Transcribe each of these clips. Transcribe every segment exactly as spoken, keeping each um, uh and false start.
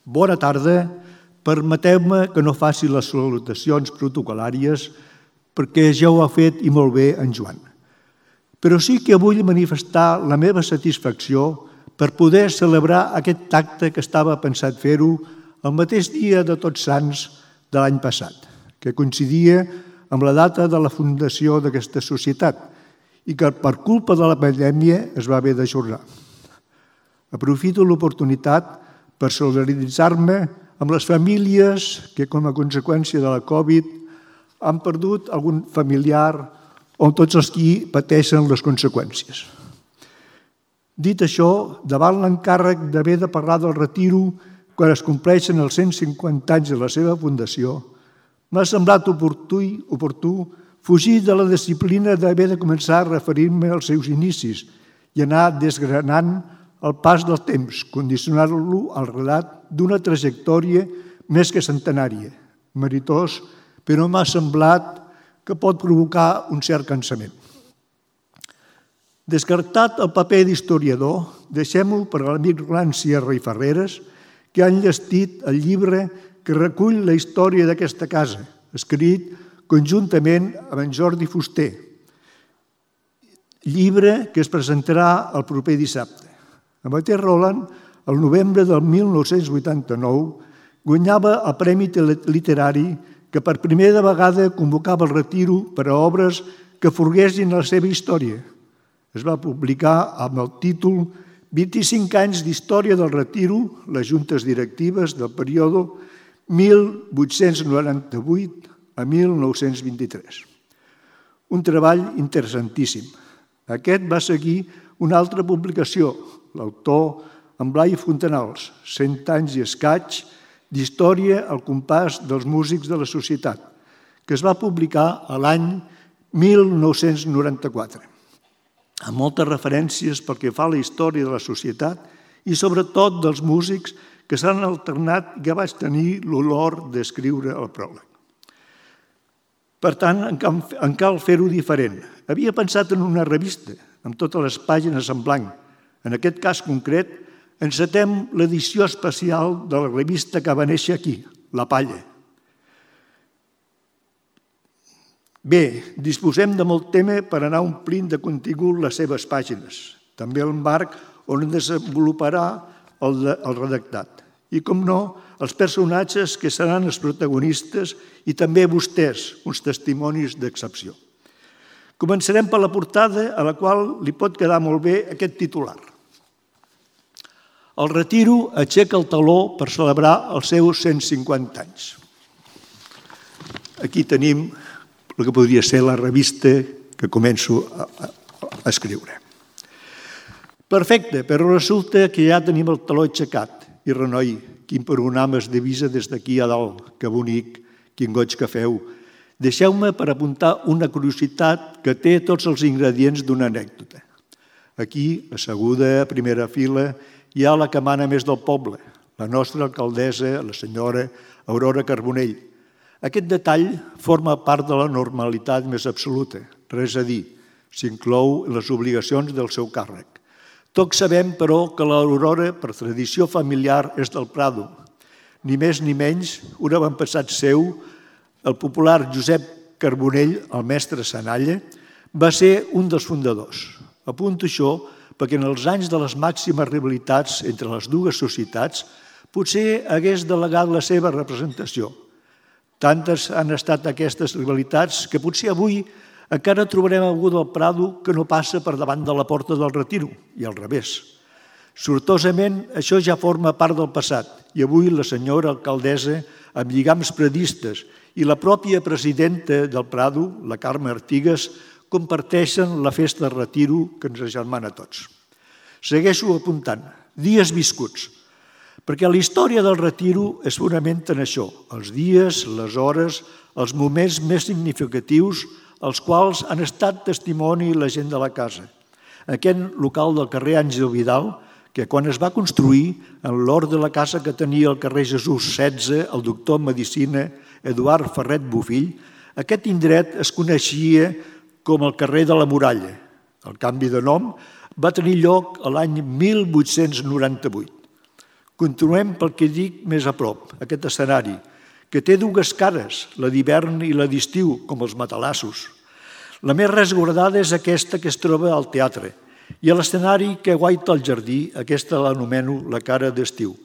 Bona tarda. Permeteu-me que no faci les salutacions protocolàries perquè ja ho ha fet i molt bé en Joan. Però sí que vull manifestar la meva satisfacció per poder celebrar aquest acte que estava pensat fer-ho el mateix dia de Tots Sants de l'any passat, que coincidia amb la data de la fundació d'aquesta societat i que per culpa de la pandèmia es va haver d'ajornar. Aprofito l'oportunitat per solidaritzar-me amb les famílies que, com a conseqüència de la Covid, han perdut algun familiar o tots els qui pateixen les conseqüències. Dit això, davant l'encàrrec d'haver de parlar del retiro quan es compleixen els cent cinquanta anys de la seva fundació, m'ha semblat oportú, oportú fugir de la disciplina d'haver de començar a referir-me als seus inicis i anar desgranant el pas del temps, condicionant-lo al relat d'una trajectòria més que centenària, meritós, però m'ha semblat que pot provocar un cert cansament. Descartat el paper d'historiador, deixem-ho per a l'amic Roland Sierra i Ferreres, que han llestit el llibre que recull la història d'aquesta casa, escrit conjuntament amb en Jordi Fuster, llibre que es presentarà el proper dissabte. El mateix Roland, el novembre del mil nou-cents vuitanta-nou, guanyava el Premi Literari que per primera vegada convocava el retiro per a obres que forguessin la seva història. Es va publicar amb el títol vint-i-cinc anys d'història del retiro, les juntes directives del període mil vuit-cents noranta-vuit a mil nou-cents vint-i-tres. Un treball interessantíssim. Aquest va seguir una altra publicació, l'autor en Blai Fontanals, cent anys i escaig d'història al compàs dels músics de la societat, que es va publicar a l'any mil nou-cents noranta-quatre, amb moltes referències pel que fa a la història de la societat i sobretot dels músics que s'han alternat i que vaig tenir l'honor d'escriure el pròleg. Per tant, en cal fer-ho diferent. Havia pensat en una revista, amb totes les pàgines en blanc. En aquest cas concret, encetem l'edició especial de la revista que va néixer aquí, La Palla. Bé, disposem de molt tema per anar omplint de contingut les seves pàgines, també el marc on desenvoluparà el, de, el redactat. I, com no, els personatges que seran els protagonistes i també vostès, uns testimonis d'excepció. Començarem per la portada, a la qual li pot quedar molt bé aquest titular. El retiro aixeca el taló per celebrar els seus cent cinquanta anys. Aquí tenim el que podria ser la revista que començo a, a, a escriure. Perfecte, però resulta que ja tenim el taló aixecat. I renoi, quin panorama es divisa des d'aquí a dalt, que bonic, quin goig que feu. Deixeu-me per apuntar una curiositat que té tots els ingredients d'una anècdota. Aquí, asseguda a primera fila, hi ha la que mana més del poble, la nostra alcaldessa, la senyora Aurora Carbonell. Aquest detall forma part de la normalitat més absoluta, res a dir, s'inclou en les obligacions del seu càrrec. Tots sabem, però, que l'Aurora, per tradició familiar, és del Prado. Ni més ni menys, un avantpassat seu, el popular Josep Carbonell, el mestre Sanalla, va ser un dels fundadors. Apunto això perquè en els anys de les màximes rivalitats entre les dues societats potser hagués delegat la seva representació. Tantes han estat aquestes rivalitats que potser avui encara trobarem algú del Prado que no passa per davant de la porta del retiro, i al revés. Sortosament, això ja forma part del passat, i avui la senyora alcaldessa, amb lligams predistes, i la pròpia presidenta del Prado, la Carme Artigas, comparteixen la festa de retiro que ens agermana a tots. Segueixo apuntant, dies viscuts, perquè la història del retiro es fonamenta en això, els dies, les hores, els moments més significatius, els quals han estat testimoni la gent de la casa. Aquest local del carrer Àngel Vidal, que quan es va construir, en l'hort de la casa que tenia al carrer Jesús setze, el doctor en medicina Eduard Ferret Bofill, aquest indret es coneixia com el carrer de la Muralla. El canvi de nom va tenir lloc l'any mil vuit-cents noranta-vuit. Continuem pel que dic més a prop, aquest escenari, que té dues cares, la d'hivern i la d'estiu, com els matalassos. La més resguardada és aquesta que es troba al teatre, i a l'escenari que guaita el jardí, aquesta l'anomeno la cara d'estiu.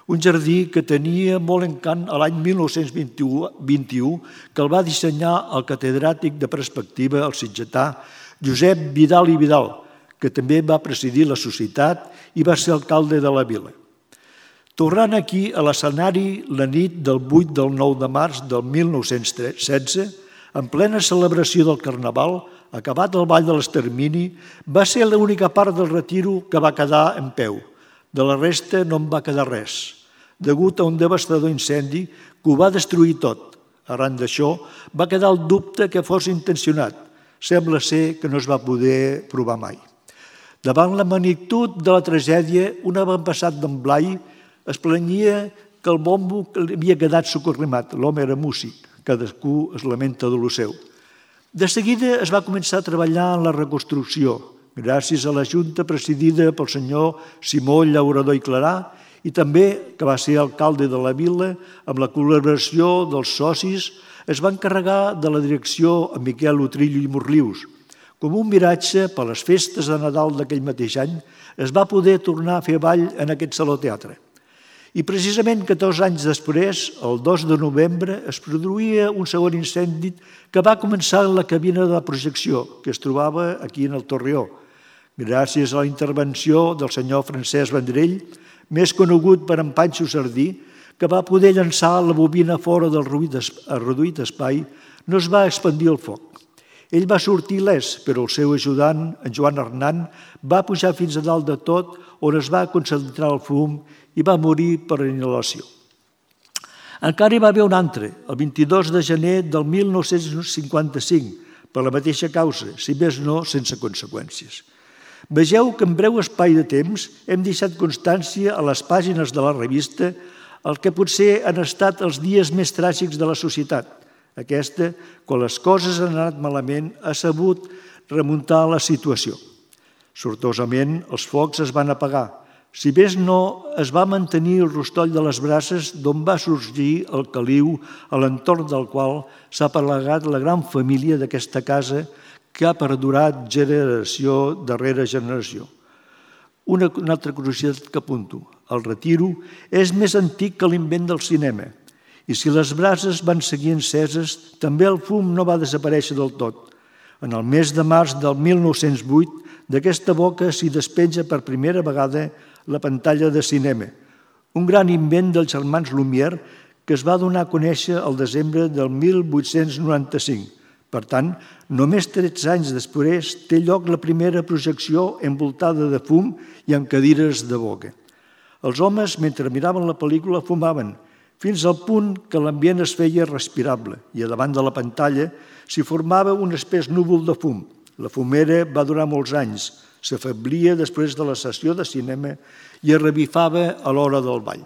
Un jardí que tenia molt encant a l'any mil nou-cents vint-i-u, que el va dissenyar el catedràtic de perspectiva, el sitgetà, Josep Vidal i Vidal, que també va presidir la societat i va ser alcalde de la vila. Tornant aquí a l'escenari la nit del vuit del nou de març del mil nou-cents setze, en plena celebració del Carnaval, acabat el ball de l'Extermini, va ser l'única part del retiro que va quedar en peu. De la resta no en va quedar res, degut a un devastador incendi que ho va destruir tot. Arran d'això, va quedar el dubte que fos intencionat. Sembla ser que no es va poder provar mai. Davant la magnitud de la tragèdia, un avantpassat d'en Blai es planyia que el bombo havia quedat socorrimat. L'home era músic, cadascú es lamenta de lo seu. De seguida es va començar a treballar en la reconstrucció, gràcies a la Junta presidida pel senyor Simó Llaurador i Clarà i també, que va ser alcalde de la vila, amb la col·laboració dels socis, es va encarregar de la direcció a Miquel Utrillo i Morlius. Com un miratge, per les festes de Nadal d'aquell mateix any, es va poder tornar a fer ball en aquest saló teatre. I precisament catorze anys després, el dos de novembre, es produïa un segon incendi que va començar en la cabina de projecció, que es trobava aquí en el Torreó. Gràcies a la intervenció del senyor Francesc Vendrell, més conegut per en Panxo Sardí, que va poder llançar la bobina fora del reduït espai, no es va expandir el foc. Ell va sortir il·lès, però el seu ajudant, en Joan Hernán, va pujar fins a dalt de tot, on es va concentrar el fum i va morir per inhalació. Encara hi va haver un altre, el vint-i-dos de gener del mil nou-cents cinquanta-cinc, per la mateixa causa, si més no, sense conseqüències. Vegeu que en breu espai de temps hem deixat constància a les pàgines de la revista el que potser han estat els dies més tràgics de la societat. Aquesta, quan les coses han anat malament, ha sabut remuntar la situació. Sortosament, els focs es van apagar. Si bé no, es va mantenir el rostoll de les brases d'on va sorgir el caliu a l'entorn del qual s'ha aplegat la gran família d'aquesta casa que ha perdurat generació darrere generació. Una, una altra curiositat que apunto. El retiro és més antic que l'invent del cinema. I si les brases van seguir enceses, també el fum no va desaparèixer del tot. En el mes de març del mil nou-cents vuit, d'aquesta boca s'hi despenja per primera vegada la pantalla de cinema, un gran invent dels germans Lumière que es va donar a conèixer el desembre del mil vuit-cents noranta-cinc. Per tant, només tretze anys després té lloc la primera projecció envoltada de fum i amb cadires de boca. Els homes, mentre miraven la pel·lícula, fumaven, fins al punt que l'ambient es feia respirable i a davant de la pantalla s'hi formava un espès núvol de fum. La fumera va durar molts anys, s'afeblia després de la sessió de cinema i es revifava a l'hora del ball.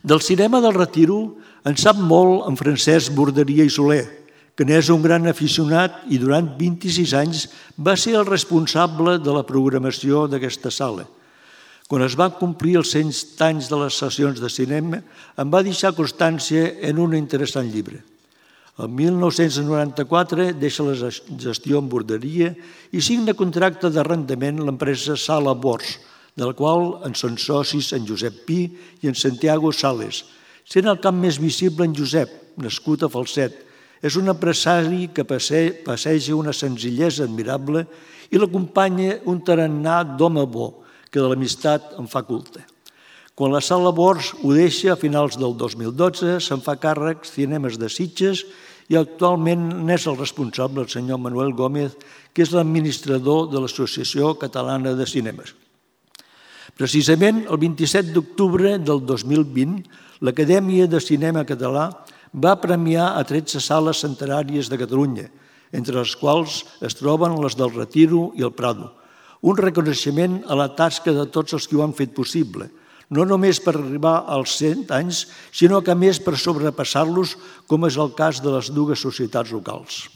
Del cinema del retiro en sap molt en Francesc Borderia i Soler, que n'és un gran aficionat i durant vint-i-sis anys va ser el responsable de la programació d'aquesta sala. Quan es van complir els cent anys de les sessions de cinema, em va deixar constància en un interessant llibre. El mil nou-cents noranta-quatre deixa la gestió en Borderia i signa contracte d'arrendament l'empresa Sala Bors, del qual en són socis en Josep Pi i en Santiago Sales, sent el cap més visible en Josep, nascut a Falset. És un empresari que passeja una senzillesa admirable i l'acompanya un tarannà d'home bo, que de l'amistat en fa culte. Quan la Sala Bors ho deixa a finals del dos mil dotze, se'n fa càrrec Cinemes de Sitges i actualment n'és el responsable el senyor Manuel Gómez, que és l'administrador de l'Associació Catalana de Cinemes. Precisament el vint-i-set d'octubre del dos mil vint, l'Acadèmia de Cinema Català va premiar a tretze sales centenàries de Catalunya, entre les quals es troben les del Retiro i el Prado. Un reconeixement a la tasca de tots els que ho han fet possible, no només per arribar als cent anys, sinó que a més per sobrepassar-los, com és el cas de les dues societats locals.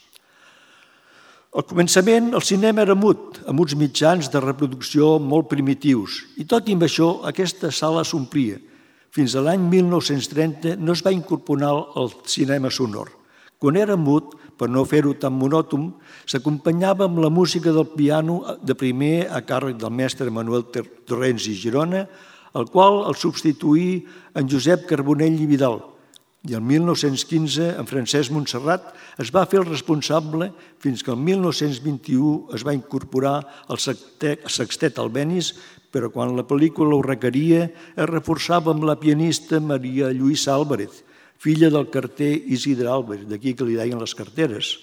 Al començament, el cinema era mut, amb uns mitjans de reproducció molt primitius, i tot i amb això, aquesta sala s'omplia. Fins a l'any mil nou-cents trenta no es va incorporar el cinema sonor. Quan era mut, per no fer-ho tan monòton, s'acompanyava amb la música del piano de primer a càrrec del mestre Manuel Torrents i Girona, el qual el substituí en Josep Carbonell i Vidal. I el mil nou-cents quinze, en Francesc Montserrat es va fer el responsable fins que el mil nou-cents vint-i-u es va incorporar el sextet Albéniz, però quan la pel·lícula ho requeria es reforçava amb la pianista Maria Lluïsa Álvarez, filla del carter Isidre Álvarez, d'aquí que li deien les carteres.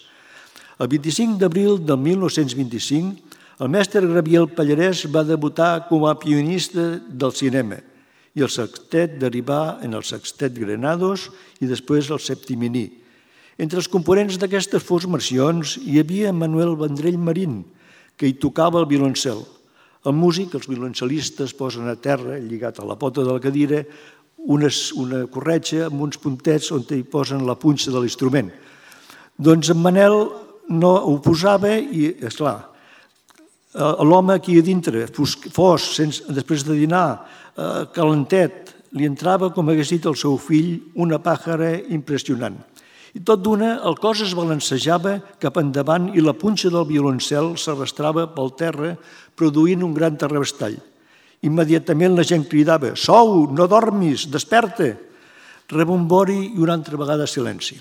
El vint-i-cinc d'abril del mil nou-cents vint-i-cinc, el mestre Gabriel Pallarès va debutar com a pianista del cinema i el sextet derivà en el sextet Granados i després el Septiminí. Entre els components d'aquestes formacions hi havia Manuel Vendrell Marín, que hi tocava el violoncel. El músic, els violoncel·listes posen a terra, lligat a la pota de la cadira, una, una corretja amb uns puntets on hi posen la punxa de l'instrument. Doncs en Manel no ho posava i, esclar, l'home aquí a dintre, fos, sense, després de dinar, eh, calentet, li entrava, com hagués dit el seu fill, una pàjara impressionant. I tot d'una, el cos es balancejava cap endavant i la punxa del violoncel s'arrastrava pel terra, produint un gran terrabastall. Immediatament la gent cridava: «Sou, no dormis, desperta!» Rebombori i una altra vegada silenci.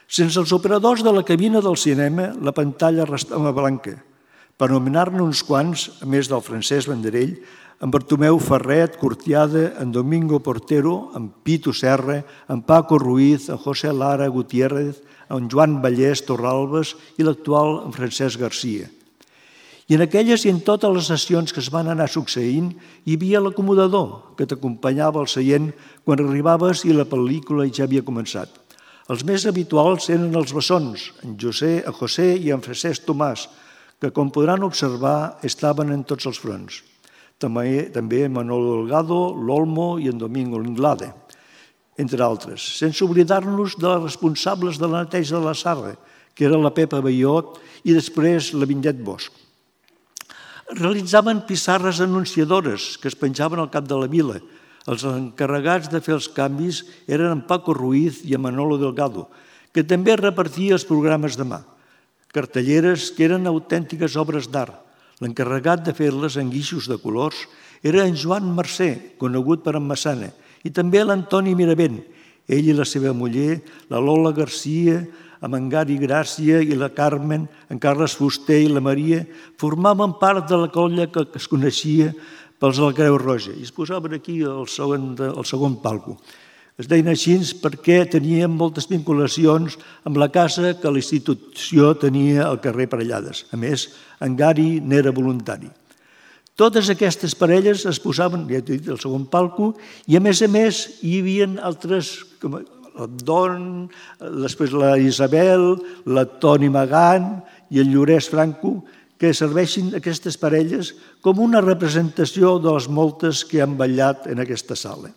Sense els operadors de la cabina del cinema, la pantalla restava blanca. Per anomenar-ne uns quants, a més del Francesc Vendrell, en Bartomeu Ferret, Cortiada, en Domingo Portero, en Pitu Serra, en Paco Ruiz, en José Lara Gutiérrez, en Joan Vallès Torralbes i l'actual en Francesc Garcia. I en aquelles i en totes les sessions que es van anar succeint, hi havia l'acomodador que t'acompanyava al seient quan arribaves i la pel·lícula ja havia començat. Els més habituals eren els bessons, en José, en José i en Francesc Tomàs, que, com podran observar, estaven en tots els fronts. També, també Manolo Delgado, l'Olmo i en Domingo Linglade, entre altres, sense oblidar-nos de les responsables de la neteja de la Sarra, que era la Pepa Baiot i després la Vinyet Bosch. Realitzaven pissarres anunciadores que es penjaven al cap de la vila. Els encarregats de fer els canvis eren en Paco Ruiz i en Manolo Delgado, que també repartia els programes de mà. Cartelleres que eren autèntiques obres d'art. L'encarregat de fer-les en guixos de colors era en Joan Mercè, conegut per en Massana, i també l'Antoni Miravent. Ell i la seva muller, la Lola Garcia, amb en Gari Gràcia i la Carmen, en Carles Fuster i la Maria, formaven part de la colla que es coneixia pels de la Creu Roja i es posaven aquí al segon, al segon palco. Es deien així perquè tenien moltes vinculacions amb la casa que la institució tenia al carrer Parellades. A més, en Gari n'era voluntari. Totes aquestes parelles es posaven, ja t'he dit, al segon palco i, a més a més, hi havia altres, com el Don, després la Isabel, la Toni Magán i el Llorès Franco, que serveixin aquestes parelles com una representació de les moltes que han ballat en aquesta sala.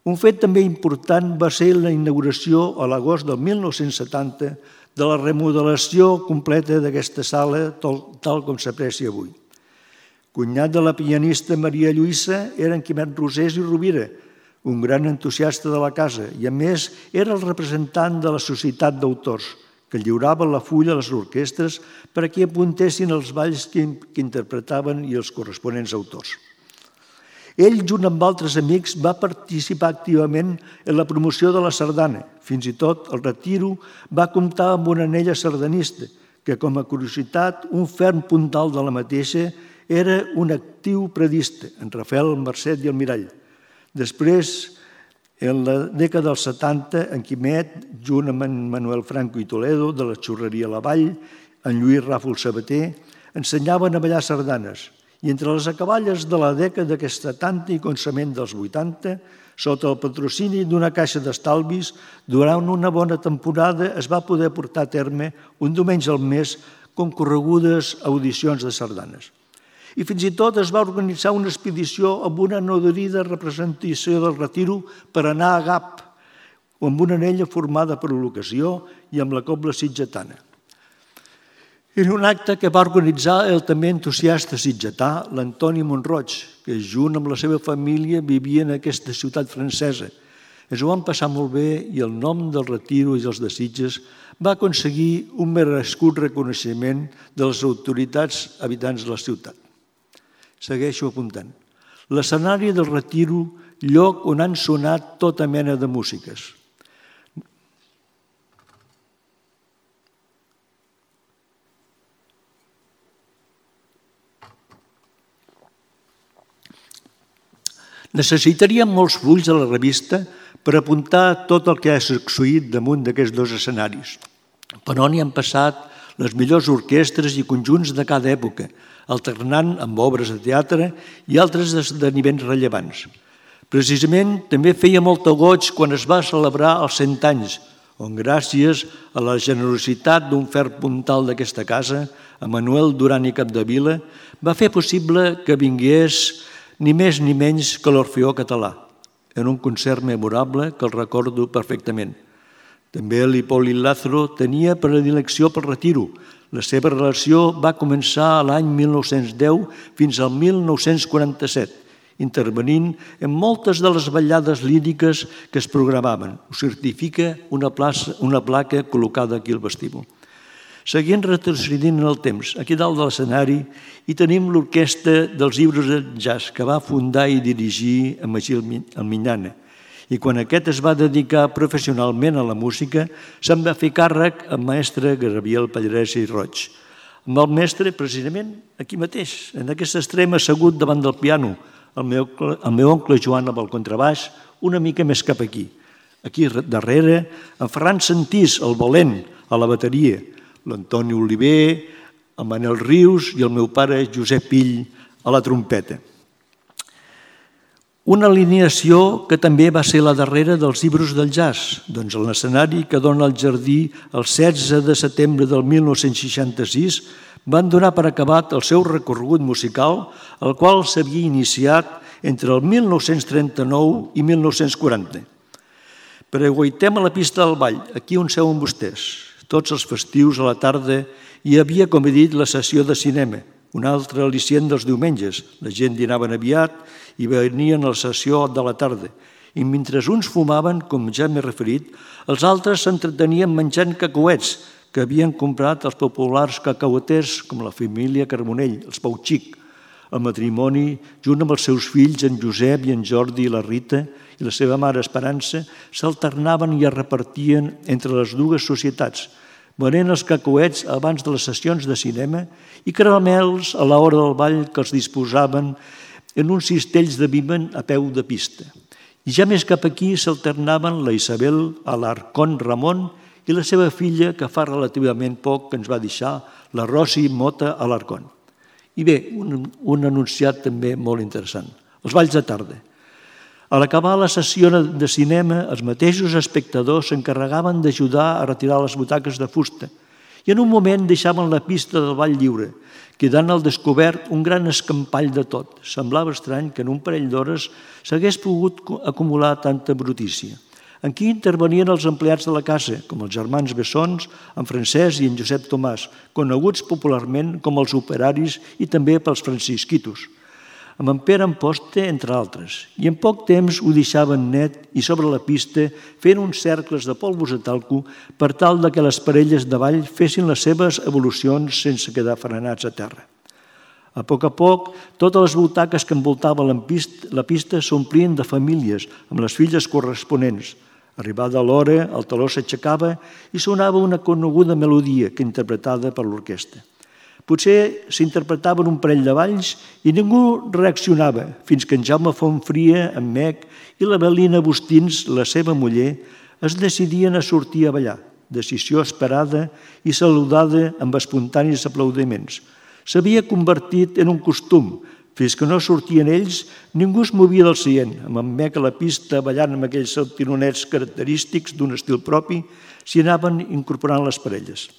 Un fet també important va ser la inauguració a l'agost del mil nou-cents setanta de la remodelació completa d'aquesta sala tal com s'aprecia avui. Cunyat de la pianista Maria Lluïsa era en Quimet Rosés i Rovira, un gran entusiasta de la casa i, a més, era el representant de la Societat d'Autors, que lliurava la fulla a les orquestres perquè apuntessin els balls que interpretaven i els corresponents autors. Ell, junt amb altres amics, va participar activament en la promoció de la sardana. Fins i tot, al retiro, va comptar amb una anella sardanista, que, com a curiositat, un ferm puntal de la mateixa era un actiu predista, en Rafael, el Mercet i el Mirall. Després, en la dècada dels setanta, en Quimet, junt amb en Manuel Franco i Toledo, de la Xurreria La Vall, en Lluís Ràfol Sabater, ensenyaven a ballar sardanes. I entre les acaballes de la dècada d'aquest setanta i començament dels vuitanta, sota el patrocini d'una caixa d'estalvis, durant una bona temporada es va poder portar a terme un diumenge al mes concorregudes audicions de sardanes. I fins i tot es va organitzar una expedició amb una nodrida representació del retiro per anar a Gap, amb una anella formada per l'ocasió i amb la cobla sitgetana. Era un acte que va organitzar el també entusiasta sitgetà l'Antoni Montroig, que junt amb la seva família vivia en aquesta ciutat francesa. Ens ho van passar molt bé i el nom del Retiro i dels de Sitges va aconseguir un merescut reconeixement de les autoritats habitants de la ciutat. Segueixo apuntant. L'escenari del Retiro, lloc on han sonat tota mena de músiques. Necessitaríem molts fulls a la revista per apuntar tot el que ha succeït damunt d'aquests dos escenaris. Per on hi han passat les millors orquestres i conjunts de cada època, alternant amb obres de teatre i altres esdeveniments rellevants. Precisament també feia molt goig quan es va celebrar els cent anys, on gràcies a la generositat d'un fer puntal d'aquesta casa, a Manuel Duran i Capdevila, va fer possible que vingués ni més ni menys que l'Orfeó Català, en un concert memorable que el recordo perfectament. També l'Hipòlit Lázaro tenia predilecció pel Retiro. La seva relació va començar l'any mil nou-cents deu fins al mil nou-cents quaranta-set, intervenint en moltes de les ballades líriques que es programaven. Ho certifica una, plaça, una placa col·locada aquí al vestíbul. Seguint retrocedint en el temps, aquí dalt de l'escenari hi tenim l'orquestra dels llibres de jazz que va fundar i dirigir a Magí Alminyana. I quan aquest es va dedicar professionalment a la música, se'n va fer càrrec el mestre Gabriel Pallarès i Roig. Amb el mestre, precisament, aquí mateix, en aquest extrem assegut davant del piano, el meu, el meu oncle Joan amb el contrabaix, una mica més cap aquí. Aquí darrere, en Ferran Santís, el valent, a la bateria, l'Antoni Oliver, el Manel Rius i el meu pare Josep Pill a la trompeta. Una alineació que també va ser la darrera dels llibres del jazz, doncs l'escenari que dona al jardí el setze de setembre del mil nou-cents seixanta-sis van donar per acabat el seu recorregut musical, el qual s'havia iniciat entre el mil nou-cents trenta-nou i mil nou-cents quaranta. Preguaitem a la pista del ball, aquí on seuen vostès. Tots els festius a la tarda hi havia, com he dit, la sessió de cinema, un altre al·licient dels diumenges. La gent dinaven aviat i venien a la sessió de la tarda. I mentre uns fumaven, com ja m'he referit, els altres s'entretenien menjant cacauets que havien comprat els populars cacaueters com la família Carbonell, els Pau Xic. El matrimoni, junt amb els seus fills, en Josep i en Jordi i la Rita, i la seva mare Esperança, s'alternaven i es repartien entre les dues societats, venent els cacauets abans de les sessions de cinema i caramels a l'hora del ball que els disposaven en uns cistells de vímen a peu de pista. I ja més cap aquí s'alternaven la Isabel Alarcón Ramon i la seva filla, que fa relativament poc que ens va deixar, la Rosi Mota Alarcón. I bé, un, un anunciat també molt interessant, els balls de tarda. A l'acabar la sessió de cinema, els mateixos espectadors s'encarregaven d'ajudar a retirar les butaques de fusta i en un moment deixaven la pista del ball lliure, quedant al descobert un gran escampall de tot. Semblava estrany que en un parell d'hores s'hagués pogut acumular tanta brutícia. Aquí intervenien els empleats de la casa, com els germans Bessons, en Francesc i en Josep Tomàs, coneguts popularment com els operaris i també pels francisquitos, amb en Pere Amposte, entre altres. I en poc temps ho deixaven net i sobre la pista fent uns cercles de polvos de talco per tal que les parelles de ball fessin les seves evolucions sense quedar frenats a terra. A poc a poc, totes les butaques que envoltaven la pista s'omplien de famílies amb les filles corresponents. Arribada l'hora, el teló s'aixecava i sonava una coneguda melodia que interpretada per l'orquestra. Potser s'interpretaven un parell de balls i ningú reaccionava, fins que en Jaume Fontfria, en Mec i la Belina Bustins, la seva muller, es decidien a sortir a ballar, decisió esperada i saludada amb espontanis aplaudiments. S'havia convertit en un costum. Fins que no sortien ells, ningú es movia del seient, amb en Mec a la pista ballant amb aquells saltironets característics d'un estil propi, s'hi anaven incorporant les parelles.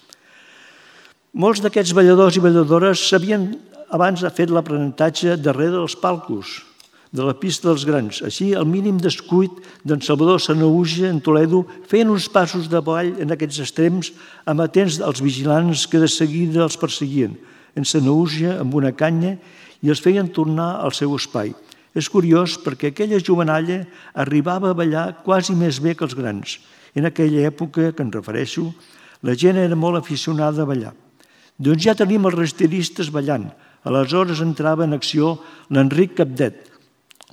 Molts d'aquests balladors i balladores s'havien abans fet l'aprenentatge darrere dels palcos, de la pista dels grans. Així, el mínim descuit d'en Salvador Sanahuja en Toledo feien uns passos de ball en aquests extrems amatents als vigilants que de seguida els perseguien, en Sanahuja amb una canya, i els feien tornar al seu espai. És curiós perquè aquella jovenalla arribava a ballar quasi més bé que els grans. En aquella època que em refereixo, la gent era molt aficionada a ballar. Doncs ja tenim els rastieristes ballant. Aleshores entrava en acció l'Enric Capdet,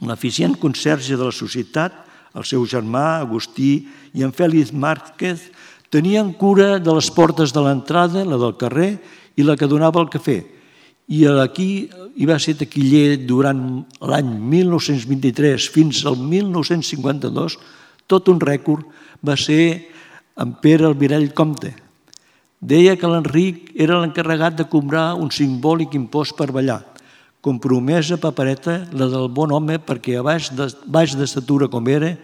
l'eficient conserge de la societat, el seu germà, Agustí, i en Fèlix Márquez, tenien cura de les portes de l'entrada, la del carrer i la que donava al cafè. I aquí hi va ser taquiller durant l'any mil nou-cents vint-i-tres fins al mil nou-cents cinquanta-dos, tot un rècord va ser en Pere Albirall Comte. Deia que l'Enric era l'encarregat de cobrar un simbòlic impost per ballar, com promesa papereta la del bon home perquè a baix d'estatura com era,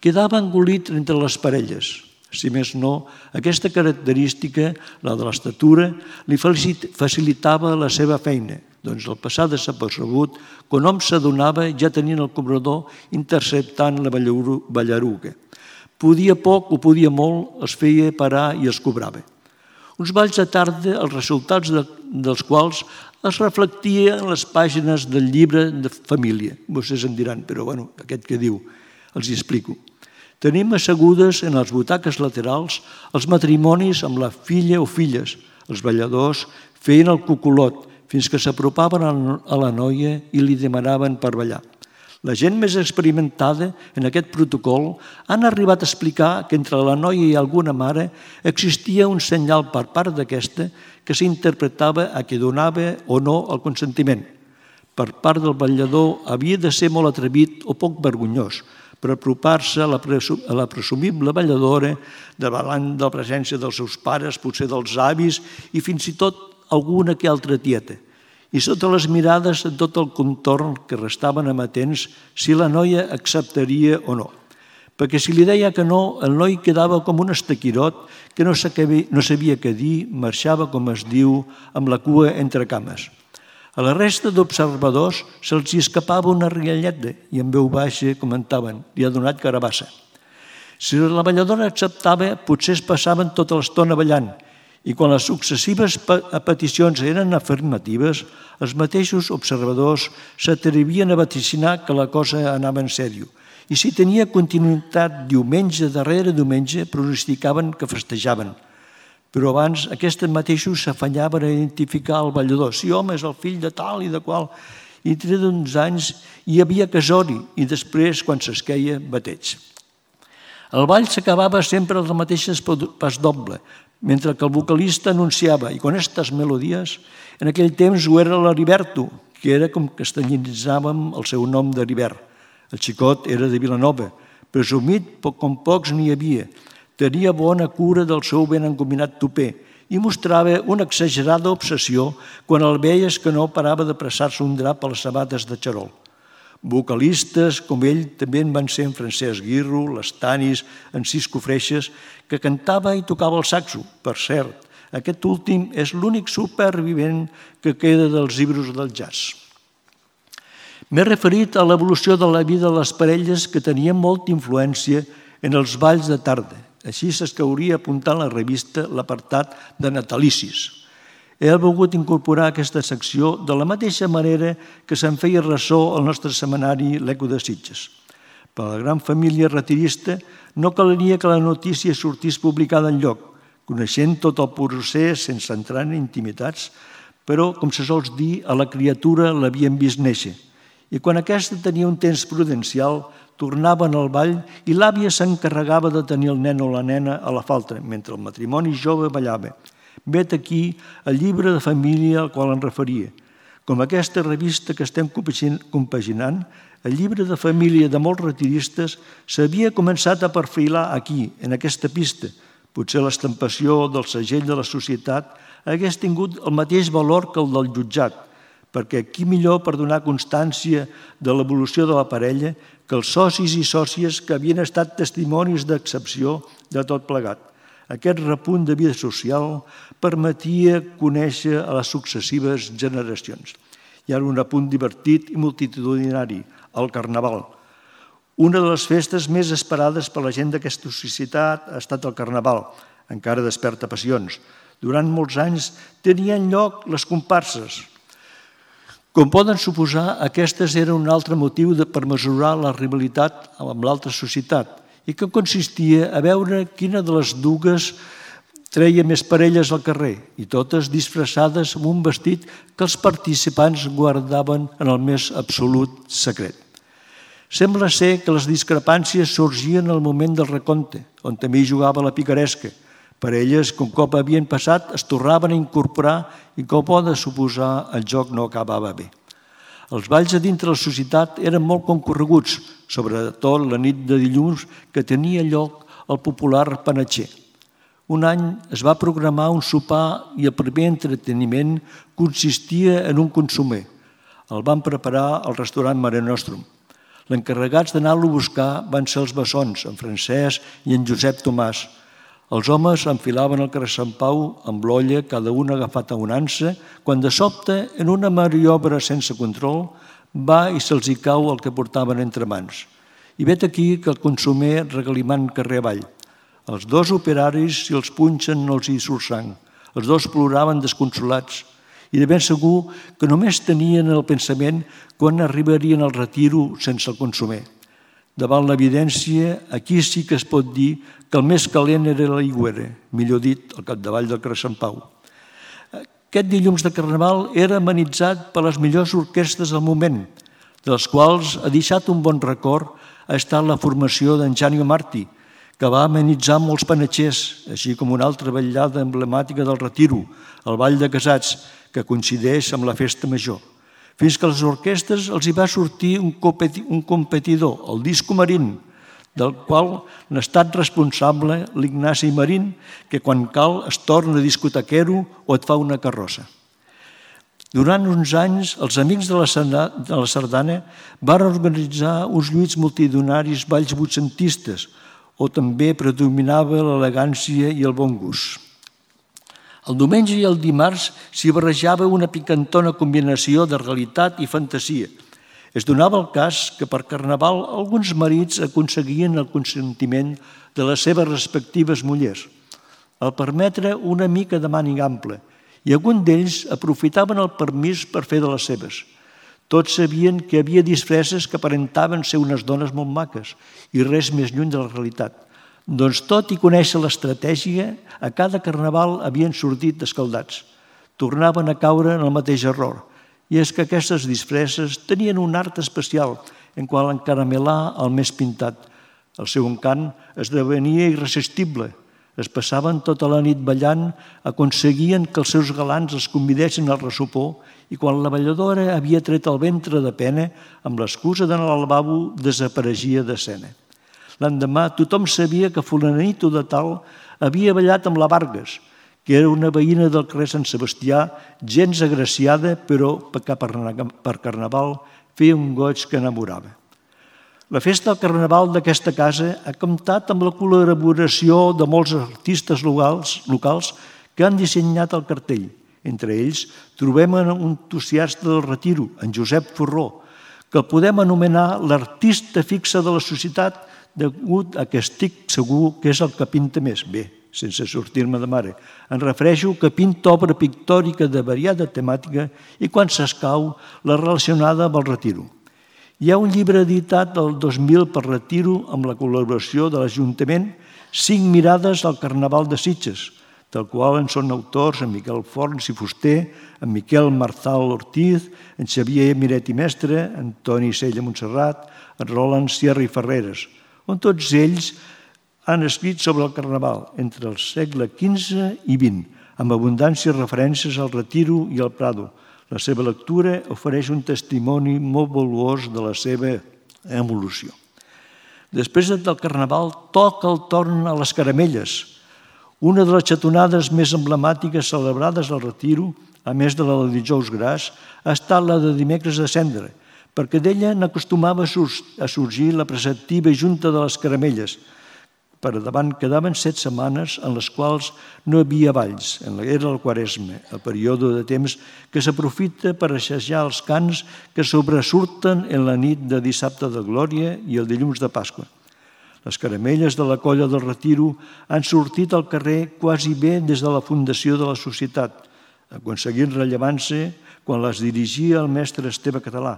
quedava engolit entre les parelles. Si més no, aquesta característica, la de l'estatura, li facilitava la seva feina. Doncs al passar desapercebut, quan hom s'adonava ja tenien el cobrador interceptant la ballaruga. Podia poc o podia molt, els feia parar i els cobrava. Uns balls de tarda, els resultats dels quals es reflectia en les pàgines del llibre de família. Vostès em diran, però bueno, aquest que diu, els hi explico. Tenim assegudes en les butaques laterals els matrimonis amb la filla o filles. Els balladors feien el cuculot fins que s'apropaven a la noia i li demanaven per ballar. La gent més experimentada en aquest protocol han arribat a explicar que entre la noia i alguna mare existia un senyal per part d'aquesta que s'interpretava a que donava o no el consentiment. Per part del ballador havia de ser molt atrevit o poc vergonyós per apropar-se a la presumible balladora davant de la presència dels seus pares, potser dels avis i fins i tot alguna que altra tieta. I sota les mirades de tot el contorn que restaven amatents si la noia acceptaria o no. Perquè si li deia que no, el noi quedava com un estaquirot que no sabia què dir, marxava, com es diu, amb la cua entre cames. A la resta d'observadors se'ls escapava una rialleta i en veu baixa comentaven, li ha donat carabassa. Si la balladora acceptava, potser es passaven tota l'estona ballant, i quan les successives peticions eren afirmatives, els mateixos observadors s'atrevien a vaticinar que la cosa anava en sèrio. I si tenia continuïtat diumenge darrere diumenge, pronosticaven que festejaven. Però abans aquests mateixos s'afanyaven a identificar el ballador. Sí, home, és el fill de tal i de qual. I entre d'uns anys hi havia casori i després, quan s'esqueia, bateig. El ball s'acabava sempre amb les mateixes pas doble, mentre que el vocalista anunciava, i con estas melodies, en aquell temps ho era l'Heriberto, que era com castellanitzàvem el seu nom d'Heribert. El xicot era de Vilanova, presumit com pocs n'hi havia, tenia bona cura del seu ben engominat tupè i mostrava una exagerada obsessió quan el veies que no parava de pressar-se un drap a les sabates de xarol. Vocalistes com ell també en van ser en Francesc Guirro, l'Estanis, en Cisco Freixes, que cantava i tocava el saxo. Per cert, aquest últim és l'únic supervivent que queda dels llibres del jazz. M'he referit a l'evolució de la vida de les parelles que tenien molta influència en els balls de tarda. Així s'escauria apuntar en la revista l'apartat de natalicis. He volgut incorporar aquesta secció de la mateixa manera que se'n feia ressò al nostre setmanari L'Eco de Sitges. Per a la gran família retirista no calaria que la notícia sortís publicada enlloc, coneixent tot el procés sense entrar en intimitats, però, com se sols dir, a la criatura l'havien vist néixer. I quan aquesta tenia un temps prudencial, tornaven al ball i l'àvia s'encarregava de tenir el nen o la nena a la falta, mentre el matrimoni jove ballava. Vet aquí el llibre de família al qual em referia. Com aquesta revista que estem compaginant, el llibre de família de molts retiristes s'havia començat a perfilar aquí, en aquesta pista. Potser l'estampació del segell de la societat hagués tingut el mateix valor que el del jutjat, perquè qui millor per donar constància de l'evolució de la parella que els socis i sòcies que havien estat testimonis d'excepció de tot plegat. Aquest repunt de vida social permetia conèixer a les successives generacions. Hi ha un apunt divertit i multitudinari. el Carnaval. Una de les festes més esperades per la gent d'aquesta societat ha estat el Carnaval, encara desperta passions. Durant molts anys tenien lloc les comparses. Com poden suposar, aquestes eren un altre motiu per mesurar la rivalitat amb l'altra societat i que consistia a veure quina de les dues treia més parelles al carrer i totes disfressades amb un vestit que els participants guardaven en el més absolut secret. Sembla ser que les discrepàncies sorgien al moment del recompte, on també hi jugava la picaresca. Parelles que un cop havien passat es tornaven a incorporar i com poden suposar el joc no acabava bé. Els balls a dintre la societat eren molt concorreguts, sobretot la nit de dilluns que tenia lloc el popular panatxer. Un any es va programar un sopar i el primer entreteniment consistia en un consomer. El van preparar al restaurant Mare Nostrum. L'encarregats d'anar-lo a buscar van ser els bessons, en Francesc i en Josep Tomàs. Els homes enfilaven el carrer Sant Pau amb l'olla, cada un agafat a una ansa, quan de sobte, en una maniobra sense control, va i se'ls hi cau el que portaven entre mans. I vet aquí que el consomer regalimant carrer avall. Els dos operaris, si els punxen, no els hi surt sang. Els dos ploraven desconsolats i de ben segur que només tenien el pensament quan arribarien al retiro sense el consomer. Davant l'evidència, aquí sí que es pot dir que el més calent era l'aigüera, millor dit, al capdavall del carrer Sant Pau. Aquest dilluns de Carnaval era amenitzat per les millors orquestres del moment, de les quals ha deixat un bon record ha estat la formació d'en Janio Martí, que va amenitzar molts panatxers, així com una altra ballada emblemàtica del retiro, el Ball de Casats, que coincideix amb la festa major. Fins que a les orquestres els hi va sortir un competidor, el Disco Marín, del qual n'ha estat responsable l'Ignasi Marín, que quan cal es torna discotequero o et fa una carrossa. Durant uns anys, els amics de la sardana van organitzar uns lluits multitudinaris balls vuitcentistes, o també predominava l'elegància i el bon gust. El diumenge i el dimarts s'hi barrejava una picantona combinació de realitat i fantasia. Es donava el cas que per Carnaval alguns marits aconseguien el consentiment de les seves respectives mullers, al permetre una mica de màniga ampla, i alguns d'ells aprofitaven el permís per fer de les seves. Tots sabien que hi havia disfresses que aparentaven ser unes dones molt maques i res més lluny de la realitat. Doncs tot i conèixer l'estratègia, a cada Carnaval havien sortit escaldats. Tornaven a caure en el mateix error. I és que aquestes disfresses tenien un art especial en qual encaramelar el més pintat. El seu encant esdevenia irresistible. Es passaven tota la nit ballant, aconseguien que els seus galants els convidessin al ressopó i quan la balladora havia tret el ventre de pena, amb l'excusa d'anar al lavabo, desapareixia d'escena. L'endemà tothom sabia que fulanito de tal havia ballat amb la Vargas, que era una veïna del carrer Sant Sebastià, gens agraciada, però per Carnaval feia un goig que enamorava. La festa del Carnaval d'aquesta casa ha comptat amb la col·laboració de molts artistes locals, locals que han dissenyat el cartell. Entre ells trobem un entusiasta del retiro, en Josep Forró, que el podem anomenar l'artista fixe de la societat degut a que estic segur que és el que pinta més. Bé, sense sortir-me de mare. Em refereixo que pinta obra pictòrica de variada temàtica i quan s'escau la relacionada amb el retiro. Hi ha un llibre editat el dos mil per Retiro amb la col·laboració de l'Ajuntament, Cinc mirades al Carnaval de Sitges, del qual en són autors en Miquel Forns i Fuster, en Miquel Marzal Ortiz, en Xavier Miret i Mestre, en Toni Sella Montserrat, en Roland Sierra i Ferreres, on tots ells han escrit sobre el Carnaval entre el segle quinze i vint, amb abundància referències al Retiro i al Prado. La seva lectura ofereix un testimoni molt valuós de la seva evolució. Després del Carnaval toca el torn a les caramelles. Una de les xatonades més emblemàtiques celebrades al Retiro, a més de la de dijous gras, ha estat la de dimecres de cendra, perquè d'ella n'acostumava a sorgir la preceptiva junta de les caramelles, Per davant quedaven set setmanes en les quals no hi havia balls. Era el Quaresma, el període de temps que s'aprofita per assajar els cants que sobresurten en la nit de dissabte de Glòria i el dilluns de Pasqua. Les caramelles de la colla del Retiro han sortit al carrer quasi bé des de la fundació de la societat, aconseguint rellevància quan les dirigia el mestre Esteve Català,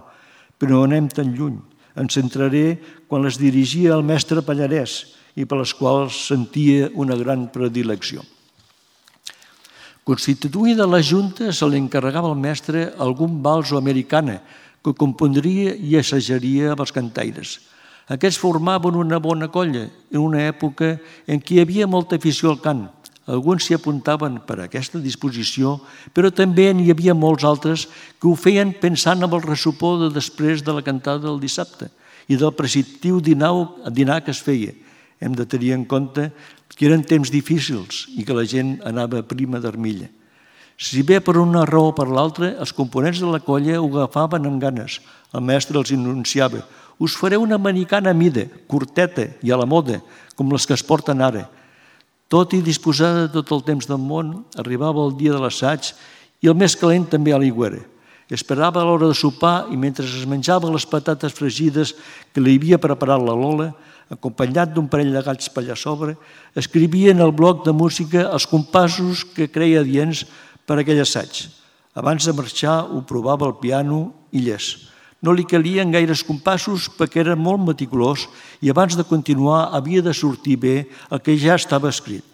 però no anem tan lluny. Em centraré quan les dirigia el mestre Pallarès i per les quals sentia una gran predilecció. Constituïda la Junta, se li encarregava al mestre algun vals o americana que compondria i assajaria amb els cantaires. Aquests formaven una bona colla en una època en què hi havia molta afició al cant. Alguns s'hi apuntaven per aquesta disposició, però també n'hi havia molts altres que ho feien pensant en el ressupó de després de la cantada del dissabte i del preceptiu dinar que es feia. Hem de tenir en compte que eren temps difícils i que la gent anava prima d'armilla. Si bé per una raó o per l'altra, els components de la colla ho agafaven amb ganes. El mestre els anunciava: us faré una americana a mida, curteta i a la moda, com les que es porten ara. Tot i disposada de tot el temps del món, arribava el dia de l'assaig i el més calent també a l'aigüera. Esperava a l'hora de sopar i mentre es menjava les patates fregides que li havia preparat la Lola, acompanyat d'un parell de gats per allà sobre, escrivia en el bloc de música els compassos que creia adients per a aquell assaig. Abans de marxar ho provava al piano i llest. No li calien gaires compassos perquè era molt meticulós i abans de continuar havia de sortir bé el que ja estava escrit.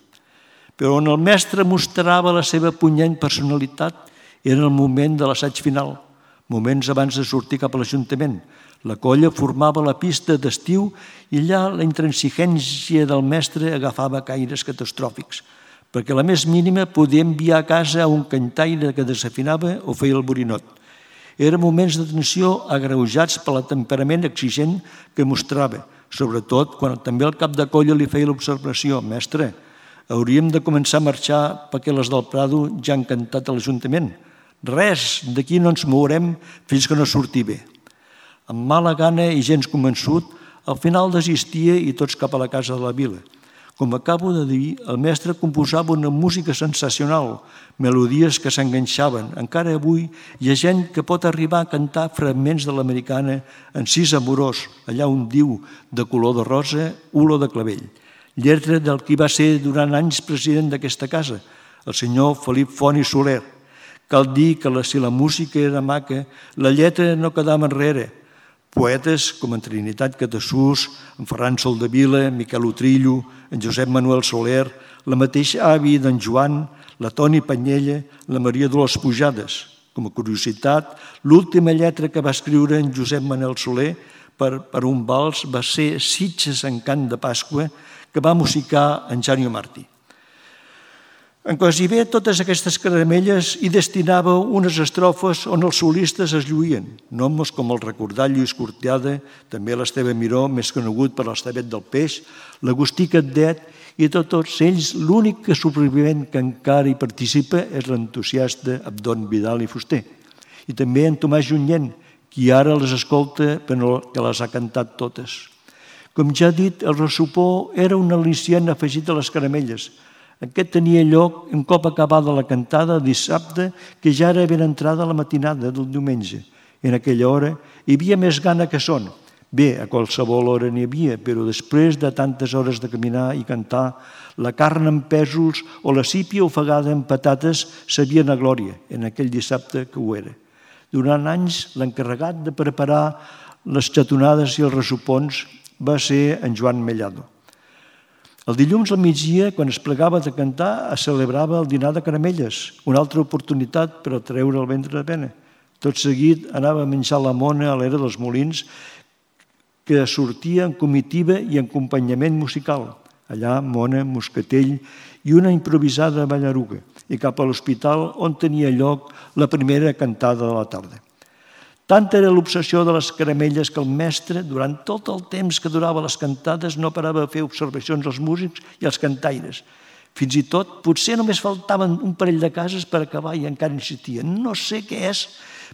Però on el mestre mostrava la seva punyent personalitat era el moment de l'assaig final, moments abans de sortir cap a l'Ajuntament. La colla formava la pista d'estiu i allà la intransigència del mestre agafava caires catastròfics, perquè la més mínima podia enviar a casa a un cantaire que desafinava o feia el borinot. Eren moments de tensió agreujats per el temperament exigent que mostrava, sobretot quan també el cap de colla li feia l'observació: mestre, hauríem de començar a marxar perquè les del Prado ja han cantat a l'Ajuntament. Res, d'aquí no ens mourem fins que no surti bé. Amb mala gana i gens convençut, al final desistia i tots cap a la casa de la vila. Com acabo de dir, el mestre composava una música sensacional, melodies que s'enganxaven. Encara avui hi ha gent que pot arribar a cantar fragments de l'americana en sis amorós, allà on diu de color de rosa, olor de clavell. Lletra del qui va ser durant anys president d'aquesta casa, el senyor Felip Font i Soler. Cal dir que si la música era maca, la lletra no quedava enrere. Poetes com en Trinitat Catassús, en Ferran Soldevila, en Miquel Utrillo, en Josep Manuel Soler, la mateixa avi d'en Joan, la Toni Panyella, la Maria Dolors Pujades. Com a curiositat, l'última lletra que va escriure en Josep Manuel Soler per, per un vals va ser Sitges en cant de Pasqua, que va musicar en Janio Martí. En quasi bé totes aquestes caramelles hi destinava unes estrofes on els solistes es lluïen, noms com el recordat Lluís Cortiada, també l'Esteve Miró, més conegut per l'Estevet del Peix, l'Agustí Catdet, i de tots ells l'únic supervivent que encara hi participa és l'entusiasta Abdon Vidal i Fuster. I també en Tomàs Junyent, qui ara les escolta però que les ha cantat totes. Com ja he dit, el ressupó era un al·licient afegit a les caramelles. Aquest tenia lloc un cop acabada la cantada dissabte, que ja era ben entrada la matinada del diumenge. En aquella hora hi havia més gana que son. Bé, a qualsevol hora n'hi havia, però després de tantes hores de caminar i cantar, la carn en pèsols o la sípia ofegada en patates sabien a glòria, en aquell dissabte que ho era. Durant anys, l'encarregat de preparar les xatonades i els ressupons va ser en Joan Mellado. El dilluns al migdia, quan es plegava de cantar, es celebrava el dinar de caramelles, una altra oportunitat per a treure el ventre de pena. Tot seguit anava a menjar la mona a l'era dels Molins, que sortia en comitiva i en acompanyament musical. Allà, mona, moscatell i una improvisada ballaruga, i cap a l'hospital on tenia lloc la primera cantada de la tarda. Tanta era l'obsessió de les caramelles que el mestre, durant tot el temps que durava les cantades, no parava de fer observacions als músics i als cantaires. Fins i tot, potser només faltaven un parell de cases per acabar i encara insistia. No sé què és,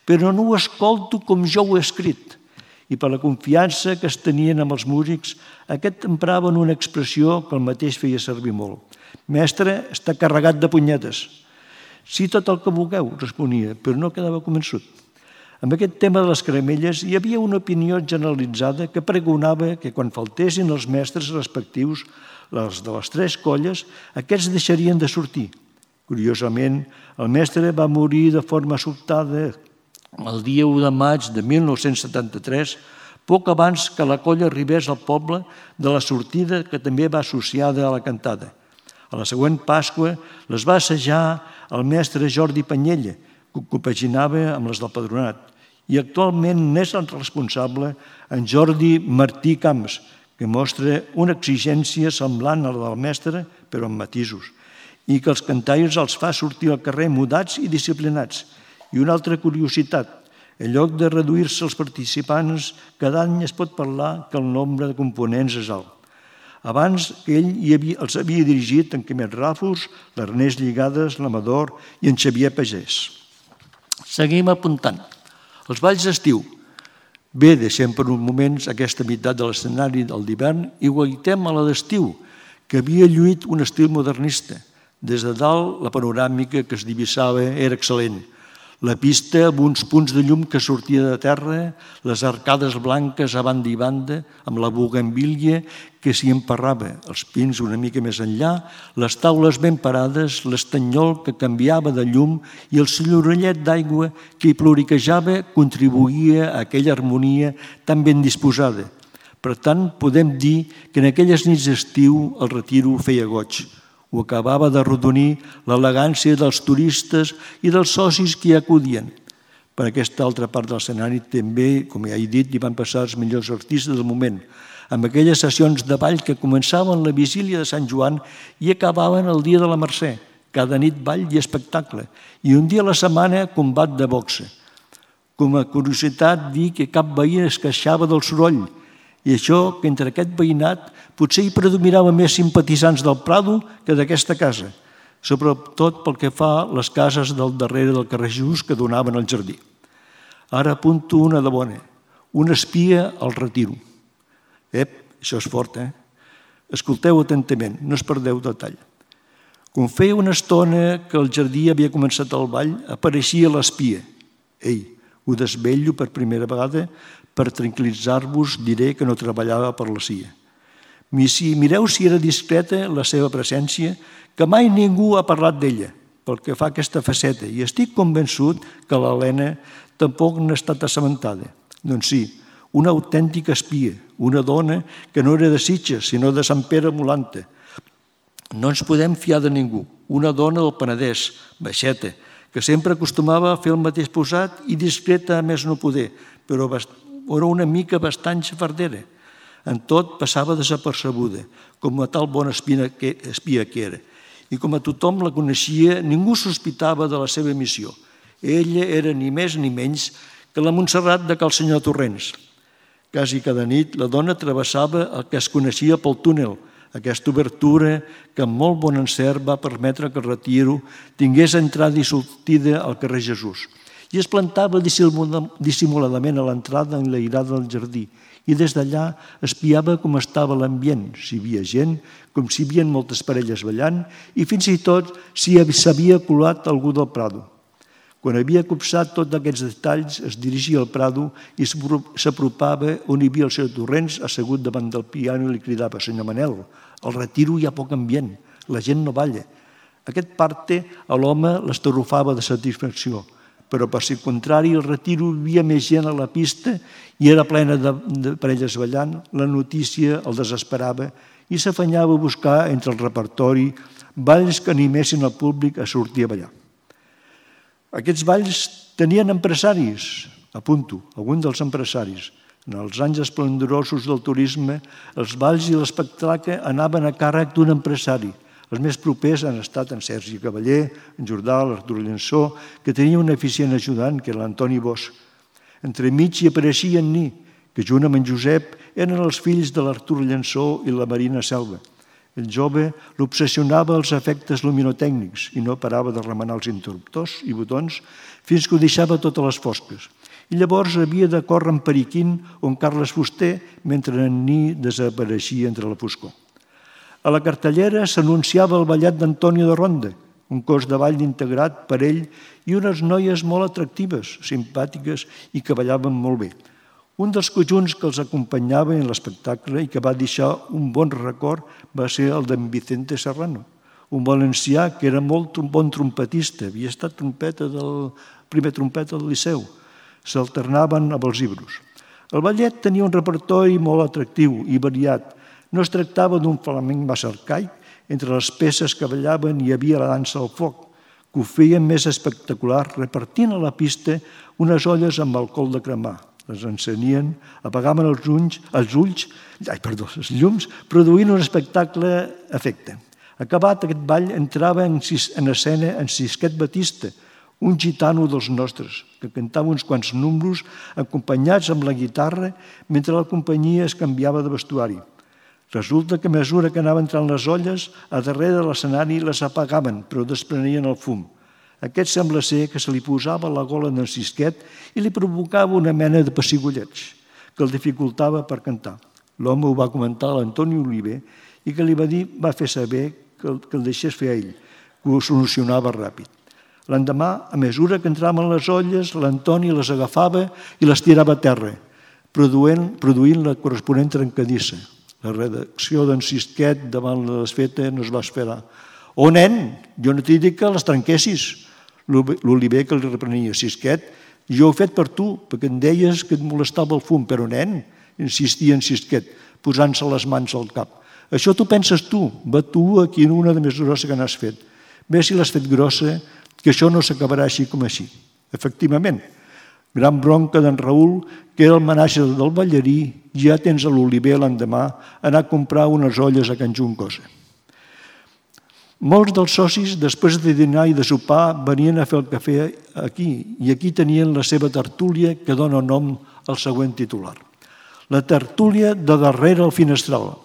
però no ho escolto com jo ho he escrit. i per la confiança que es tenien amb els músics, aquest empraven una expressió que el mateix feia servir molt. Mestre, està carregat de punyetes. Sí, tot el que vulgueu, responia, però no quedava convençut. Amb aquest tema de les caramelles hi havia una opinió generalitzada que pregonava que quan faltessin els mestres respectius, els de les tres colles, aquests deixarien de sortir. Curiosament, el mestre va morir de forma sobtada el dia u de maig de mil nou-cents setanta-tres, poc abans que la colla arribés al poble de la sortida que també va associada a la cantada. A la següent Pasqua les va assajar el mestre Jordi Panyella, que compaginava amb les del Padronat, i actualment n'és el responsable en Jordi Martí Camps, que mostra una exigència semblant a la del mestre, però amb matisos, i que els cantaires els fa sortir al carrer mudats i disciplinats. I una altra curiositat, en lloc de reduir-se els participants, cada any es pot parlar que el nombre de components és alt. Abans que ell hi havia, els havia dirigit en Quimet Ràfols, l'Ernest Lligades, l'Amador i en Xavier Pagès. Seguim apuntant. Els balls d'estiu. Bé, deixem per un moment aquesta meitat de l'escenari del d'hivern i guaitem a la d'estiu, que havia lluït un estil modernista. Des de dalt, la panoràmica que es divisava era excel·lent. La pista amb uns punts de llum que sortia de terra, les arcades blanques a banda i banda, amb la bugambília que s'hi emparrava, els pins una mica més enllà, les taules ben parades, l'estanyol que canviava de llum i el senyorellet d'aigua que hi ploriquejava contribuïa a aquella harmonia tan ben disposada. Per tant, podem dir que en aquelles nits d'estiu el Retiro feia goig. Ho acabava d'arrodonir l'elegància dels turistes i dels socis que hi acudien. Per aquesta altra part de l'escenari també, com ja he dit, hi van passar els millors artistes del moment, amb aquelles sessions de ball que començaven la vigília de Sant Joan i acabaven el dia de la Mercè, cada nit ball i espectacle, i un dia a la setmana combat de boxa. Com a curiositat, dir que cap veí es queixava del soroll, i això que entre aquest veïnat potser hi predominava més simpatitzants del Prado que d'aquesta casa, sobretot pel que fa a les cases del darrere del carrer Jesús que donaven al jardí. Ara apunto una de bona, una espia al Retiro. Ep, això és fort, eh? Escolteu atentament, no es perdeu detall. Quan feia una estona que el jardí havia començat el ball, apareixia l'espia. Ei, ho desvello per primera vegada. Per tranquil·litzar-vos diré que no treballava per la C I A. Si mireu si era discreta la seva presència, que mai ningú ha parlat d'ella, pel que fa a aquesta faceta, i estic convençut que l'Helena tampoc n'ha estat assabentada. Doncs sí, una autèntica espia, una dona que no era de Sitges, sinó de Sant Pere Molanta. No ens podem fiar de ningú, una dona del Penedès, baixeta, que sempre acostumava a fer el mateix posat i discreta a més no poder, però era una mica bastant xafardera. En tot passava desapercebuda, com a tal bona espia que, espia que era. I com a tothom la coneixia, ningú sospitava de la seva missió. Ella era ni més ni menys que la Montserrat de Cal Senyor Torrents. Quasi cada nit la dona travessava el que es coneixia pel túnel, aquesta obertura que amb molt bon encert va permetre que el Retiro tingués entrada i sortida al carrer Jesús. I es plantava dissimuladament a l'entrada enlairada del jardí i des d'allà espiava com estava l'ambient, si hi havia gent, com si hi havia moltes parelles ballant i fins i tot si s'havia colat algú del Prado. Quan havia copsat tots aquests detalls, es dirigia al Prado i s'apropava on hi havia el senyor Torrents assegut davant del piano i li cridava: «Senyor Manel, al Retiro hi ha poc ambient, la gent no balla». Aquest parte a l'home l'estarrufava de satisfacció, però per si contrari el Retiro hi havia més gent a la pista i era plena de, de parelles ballant, la notícia el desesperava i s'afanyava a buscar entre el repertori balls que animessin el públic a sortir a ballar. Aquests balls tenien empresaris, apunto, alguns dels empresaris. En els anys esplendorosos del turisme, els balls i l'espectacle anaven a càrrec d'un empresari. Els més propers han estat en Sergi Cavaller, en Jordà, l'Artur Llençó, que tenia un eficient ajudant, que era l'Antoni Bosch. Entremig hi apareixia en Ni, que junt amb en Josep eren els fills de l'Artur Llençó i la Marina Selva. El jove l'obsessionava els efectes luminotècnics i no parava de remenar els interruptors i botons fins que ho deixava totes les fosques. i llavors havia de córrer en Periquín o en Carles Fuster mentre en Ni desapareixia entre la foscor. A la cartellera s'anunciava el ballet d'Antonio de Ronda, un cos de ball integrat per ell i unes noies molt atractives, simpàtiques i que ballaven molt bé. Un dels conjunts que els acompanyava en l'espectacle i que va deixar un bon record va ser el d'en Vicente Serrano, un valencià que era molt bon trompetista, havia estat trompeta del, primer trompeta del Liceu. S'alternaven amb els llibres. El ballet tenia un repertori molt atractiu i variat. No es tractava d'un flamenc massa arcaic. Entre les peces que ballaven hi havia la dansa al foc, que ho feien més espectacular repartint a la pista unes olles amb alcohol de cremar. Les encenien, apagaven els ulls, els ulls ai, perdó, els llums, produint un espectacle efecte. Acabat aquest ball, entrava en, en escena en Sisquet Batista, un gitano dels nostres, que cantava uns quants números acompanyats amb la guitarra mentre la companyia es canviava de vestuari. Resulta que a mesura que anaven entrant les olles, a darrere de l'escenari les apagaven, però desprenien el fum. Aquest sembla ser que se li posava a la gola d'en Sisquet i li provocava una mena de pessigolleig, que el dificultava per cantar. L'home ho va comentar a l'Antoni Oliver i que li va dir, va fer saber que el, que el deixés fer a ell, que ho solucionava ràpid. L'endemà, a mesura que entraven les olles, l'Antoni les agafava i les tirava a terra, produint, produint la corresponent trencadissa. La redacció d'en Sisquet davant la desfeta no es va esperar. «Oh, nen, jo no t'he dit que les trenquessis!» L'Oliver que li reprenia. «Sisquet, jo ho he fet per tu, perquè em deies que et molestava el fum, però nen», insistia en Sisquet, posant-se les mans al cap. «Això t'ho penses tu, va tu aquí en una de més grossa que n'has fet. Bé si l'has fet grossa, que això no s'acabarà així com així». Efectivament, gran bronca d'en Raül, que era el manager del ballarí, ja tens a l'Oliver l'endemà anar a comprar unes olles a Can Juncosa. Molts dels socis, després de dinar i de sopar, venien a fer el cafè aquí, i aquí tenien la seva tertúlia que dona nom al següent titular. La tertúlia de darrere el finestral.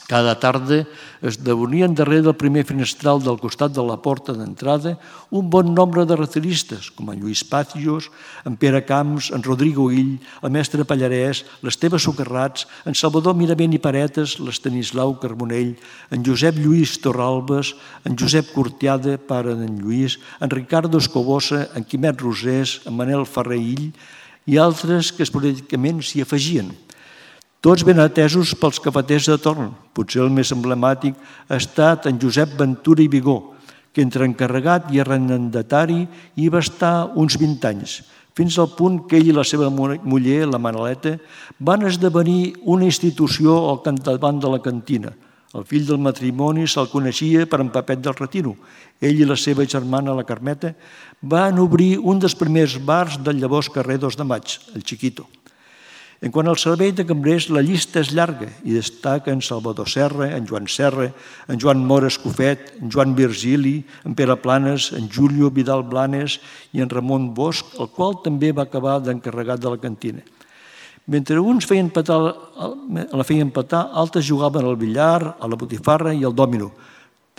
Cada tarda es deunien darrere del primer finestral del costat de la porta d'entrada un bon nombre de reteristes, com en Lluís Pacios, en Pere Camps, en Rodrigo Ill, el mestre Pallarès, l'Esteve Socarrats, en Salvador Miravent i Paretes, l'Estanislau Carbonell, en Josep Lluís Torralbes, en Josep Cortiada, pare d'en Lluís, en Ricardo Escobosa, en Quimet Rosés, en Manel Ferrer Ill i altres que esporàdicament s'hi afegien. Tots ben atesos pels cafeters de torn. Potser el més emblemàtic ha estat en Josep Ventura i Vigó, que entre encarregat i arrendatari hi va estar uns vint anys, fins al punt que ell i la seva muller, la Manoleta, van esdevenir una institució al capdavant de la cantina. El fill del matrimoni se'l coneixia per en Papet del Retiro. Ell i la seva germana, la Carmeta, van obrir un dels primers bars del llavors carrer dos de Maig, el Chiquito. En quant al servei de cambrers, la llista és llarga i destaca en Salvador Serra, en Joan Serra, en Joan Mora Escofet, en Joan Virgili, en Pere Planes, en Julio Vidal Blanes i en Ramon Bosch, el qual també va acabar d'encarregat de la cantina. Mentre uns feien petar, la feien petar, altres jugaven al billar, a la botifarra i al dòmino,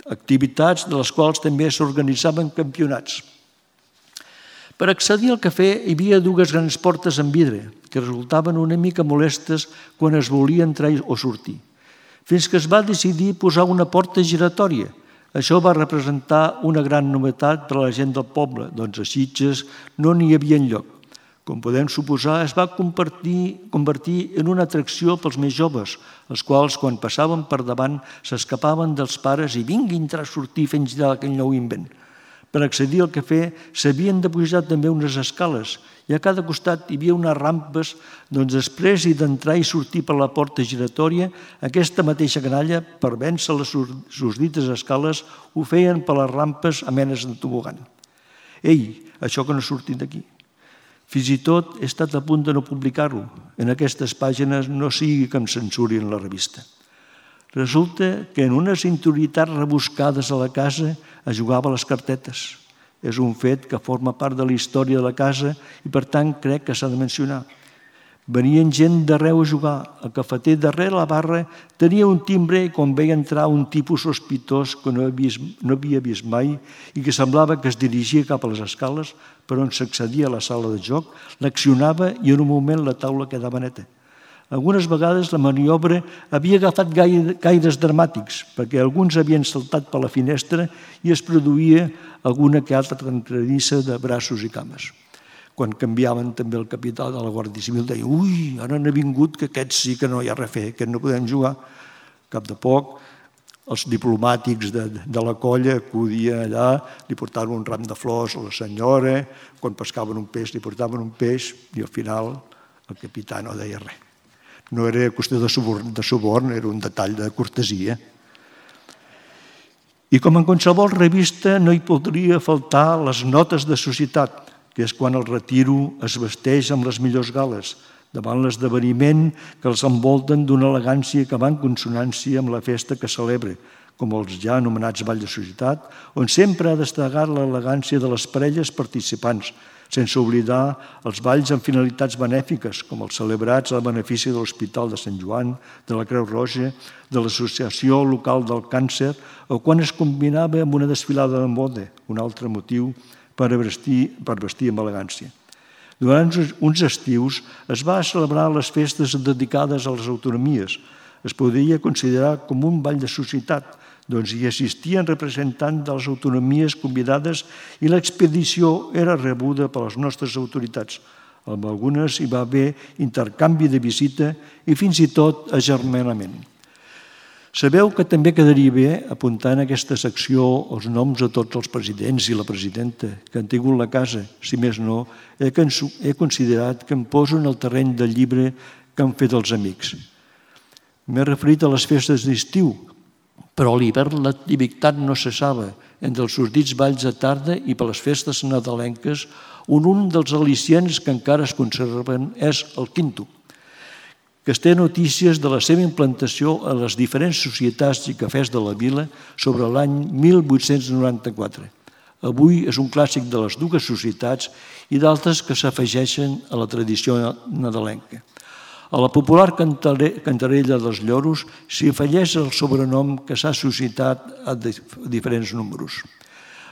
activitats de les quals també s'organitzaven campionats. Per accedir al cafè hi havia dues grans portes en vidre que resultaven una mica molestes quan es volia entrar o sortir, fins que es va decidir posar una porta giratòria. Això va representar una gran novetat per a la gent del poble, doncs a Sitges no n'hi havia enlloc. Com podem suposar, es va convertir, convertir en una atracció pels més joves, els quals, quan passaven per davant, s'escapaven dels pares i vinguin a entrar a sortir fent girar aquell nou invent. Per accedir al cafè s'havien de pujar també unes escales i a cada costat hi havia unes rampes, doncs després d'entrar i sortir per la porta giratòria, aquesta mateixa canalla, per vèncer les susdites escales, ho feien per les rampes a menes de tobogan. Ei, això que no ha sortit d'aquí. Fins i tot he estat a punt de no publicar-ho. En aquestes pàgines no sigui que em censurin la revista. Resulta que en unes interioritats rebuscades a la casa es jugava a les cartetes. És un fet que forma part de la història de la casa i, per tant, crec que s'ha de mencionar. Venien gent d'arreu a jugar. El cafeter darrere la barra tenia un timbre i quan veia entrar un tipus sospitós que no havia vist mai i que semblava que es dirigia cap a les escales per on s'accedia a la sala de joc, l'accionava i en un moment la taula quedava neta. Algunes vegades la maniobra havia agafat gaires dramàtics perquè alguns havien saltat per la finestra i es produïa alguna que altra trencadissa de braços i cames. Quan canviaven també el capità de la Guàrdia Civil, deia «Ui, ara n'ha vingut que aquests sí que no hi ha res a fer, aquests no podem jugar». Cap de poc, els diplomàtics de, de la colla acudien allà, li portaven un ram de flors a la senyora, quan pescaven un peix li portaven un peix i al final el capità no deia res. No era qüestió de suborn, de suborn, era un detall de cortesia. I com en qualsevol revista no hi podria faltar les notes de societat, que és quan el retiro es vesteix amb les millors gales, davant l'esdeveniment que els envolten d'una elegància que va en consonància amb la festa que celebra, com els ja anomenats balls de societat, on sempre ha destacat l'elegància de les parelles participants, sense oblidar els balls amb finalitats benèfiques, com els celebrats a benefici de l'Hospital de Sant Joan, de la Creu Roja, de l'Associació Local del Càncer, o quan es combinava amb una desfilada de moda, un altre motiu per vestir, per vestir amb elegància. Durant uns estius es va celebrar les festes dedicades a les autonomies. Es podria considerar com un ball de societat, doncs hi assistien representants de les autonomies convidades i l'expedició era rebuda per les nostres autoritats. Amb algunes hi va haver intercanvi de visita i fins i tot agermanament. Sabeu que també quedaria bé apuntar en aquesta secció els noms de tots els presidents i la presidenta que han tingut la casa. Si més no, he considerat que em poso en el terreny del llibre que han fet els amics. M'he referit a les festes d'estiu, però a l'hivern l'activitat no cessava. Entre els sortits balls de tarda i per les festes nadalenques, un, un dels al·licients que encara es conserven és el quinto, que es té notícies de la seva implantació a les diferents societats i cafès de la vila sobre l'any mil vuit-cents noranta-quatre. Avui és un clàssic de les dues societats i d'altres que s'afegeixen a la tradició nadalenca. A la popular cantarella dels lloros s'hi afegeix el sobrenom que s'ha suscitat a diferents números.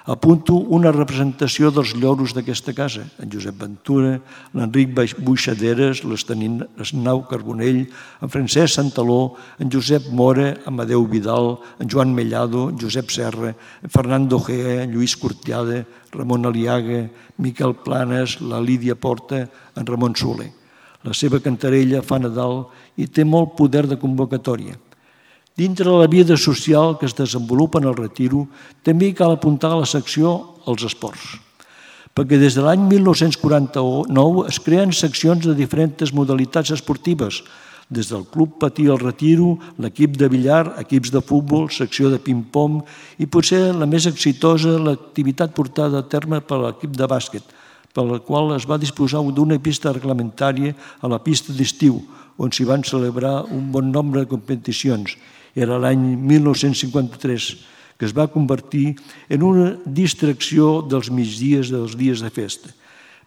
Apunto una representació dels lloros d'aquesta casa, en Josep Ventura, l'Enric Buixaderes, l'Esnau Carbonell, en Francesc Santaló, en Josep Mora, Amadeu Vidal, en Joan Mellado, en Josep Serra, en Fernando Gea, en Lluís Cortiada, Ramon Aliaga, Miquel Planes, la Lídia Porta, en Ramon Soler. La seva cantarella fa Nadal i té molt poder de convocatòria. Dintre de la vida social que es desenvolupa en el retiro, també cal apuntar a la secció els esports, perquè des de l'any mil nou-cents quaranta-nou es creen seccions de diferents modalitats esportives, des del Club Patí al Retiro, l'equip de billar, equips de futbol, secció de ping-pong i potser la més exitosa l'activitat portada a terme per l'equip de bàsquet, per la qual es va disposar d'una pista reglamentària a la pista d'estiu, on s'hi van celebrar un bon nombre de competicions. Era l'any mil nou-cents cinquanta-tres, que es va convertir en una distracció dels migdies dels dies de festa.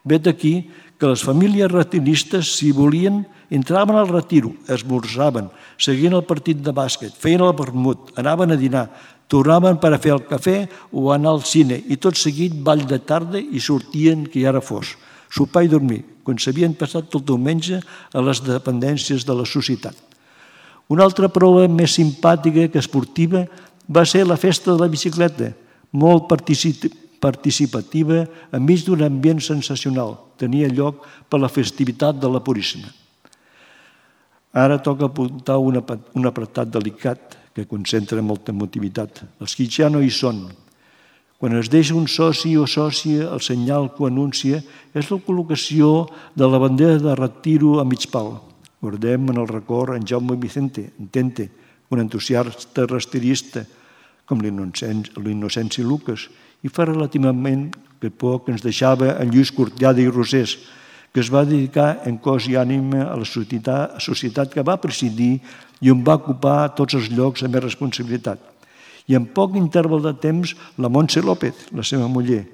Vet aquí que les famílies retiristes, si volien, entraven al retiro, esmorzaven, seguien el partit de bàsquet, feien el vermut, anaven a dinar, tornaven per a fer el cafè o anar al cine i tot seguit ball de tarda i sortien que ja era fos, sopar i dormir, quan s'havien passat tot diumenge a les dependències de la societat. Una altra prova més simpàtica que esportiva va ser la festa de la bicicleta, molt participativa enmig d'un ambient sensacional. Tenia lloc per la festivitat de la Puríssima. Ara toca apuntar un apartat delicat que concentra molta emotivitat. Els que ja no hi són. Quan es deixa un soci o sòcia, el senyal que ho anuncia és la col·locació de la bandera de retiro a mig pal. Guardem en el record en Jaume Vicente, Entente, un entusiasta rasterista com l'Innocenci Lucas, i fa relativament que poc ens deixava en Lluís Cortiada i Rosés, que es va dedicar en cos i ànima a la societat que va presidir i on va ocupar tots els llocs amb més responsabilitat. I en poc interval de temps, la Montse López, la seva muller.